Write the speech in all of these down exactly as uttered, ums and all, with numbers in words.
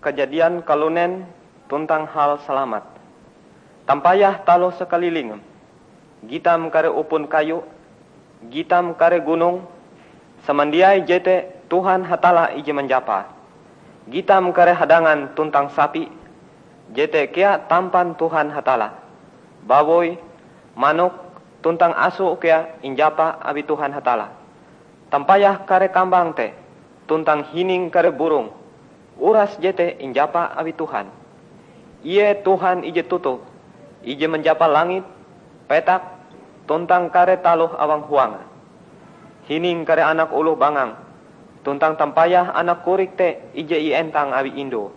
Kajadian kalunen tuntang hal salamat. Tampayah taloh sakalilingem, gitam kare upun kayu, gitam kare gunong, samandiai jete Tuhan Hatalla ije manjapa. Gitam kare hadangan tuntang sapi, jete kea tampan Tuhan Hatalla. Bawoi, manok, tuntang aso kea injapa awi Tuhan Hatalla. Tampayah kare kambang te, tuntang hining kare burong, uras jete injapa awi Tuhan. Ie Tuhan ije toto, ije manjapa langit, petak, tuntang kare taloh awang huange. Hining kare anak oloh bangang, tuntang tampayah anak korik te ije ientang awi indoe.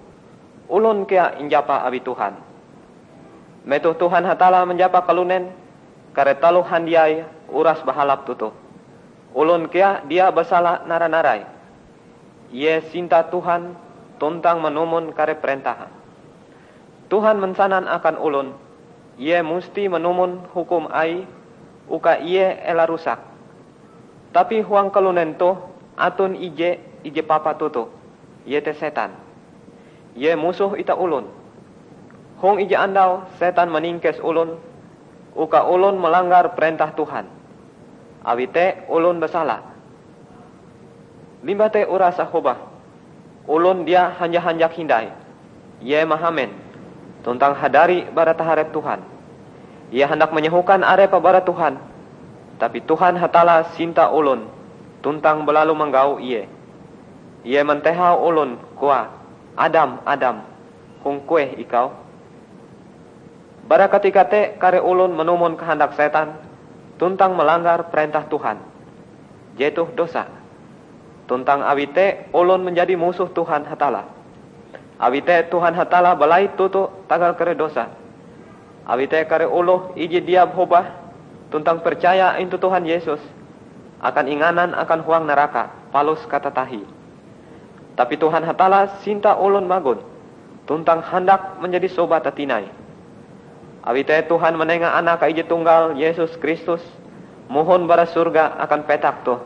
Olon kea injapa awi Tuhan. Metoh Tuhan Hatalla manjapa kalunen, kare taloh handiai uras bahalap toto. Olon kea dia basala nara-narai. Ie sinta Tuhan tuntang manumon kare parentahe. Tuhan mansanan akan olon, ie musti manumon hukum Aie uka ie ela rusak. Tapi huang kalunen toh aton ije, ije papa toto, iete Setan. Ie musoh itah olon. Hong ije andau Setan maningkes olon uka olon malanggar parentah Tuhan. Awi te olon basala. Limbah te urase hobah, olon dia hanja-hanjak hindai. Ie mahamen, tuntang hadari bara taharep Tuhan. Ie handak manyohokan arepe bara Tuhan, tapi Tuhan Hatalla sinta olon tuntang balalu manggau ie. Ie mantehau olon, koae, "Adam, Adam, hong kueh ikau?" Bara katika te kare olon manumon kahandak Setan tuntang malanggar parentah Tuhan. Jetoh dosa. Tuntang awi te olon manjadi musoh Tuhan Hatalla. Awi te Tuhan Hatalla balait toto tagal kare dosa. Awi te kare oloh ije dia hobah tuntang percaya intu Tuhan Yesus akan inganan akan huang naraka palus katatahie. Tapi Tuhan Hatalla sinta olon magon tuntang handak manjadi sobat tinai. Awi te Tuhan manenga Anake Ije Tunggal, Yesus Kristus, mohon bara sorga akan petak toh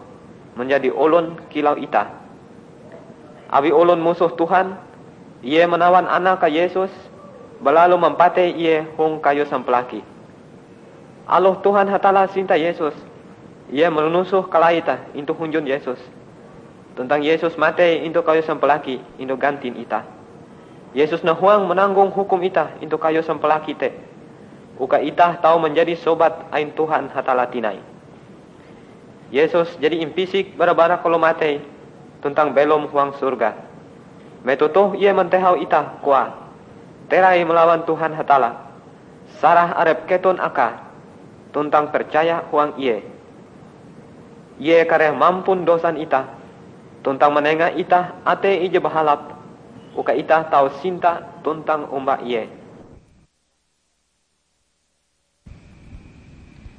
manjadi olon kilau itah. Awi olon musoh Tuhan, Ie manawan Anake Yesus, balalu mampatei Ie hong kayu sampalaki. Aloh Tuhan Hatalla sinta Yesus, Ie manusoh kalaite intu hunjun Yesus. Tuntang Yesus matei intu kayu sampalaki intu gantin itah. Yesus nahuang mananggong hukum itah intu kayu sampalaki te, uka itah tau manjadi sobat ain Tuhan Hatalla tinai. Yesus jadi impisik bara-bara kalomatei tuntang belom huang sorga. Metoh toh Ie mantehau itah, koae, "Terai malawan Tuhan Hatalla, sarah arep keton Akae, tuntang percaya huang Ie. Ie kareh mampun dosan itah, tuntang manenga itah atei ije bahalap, uka itah tau sinta tuntang omba Ie."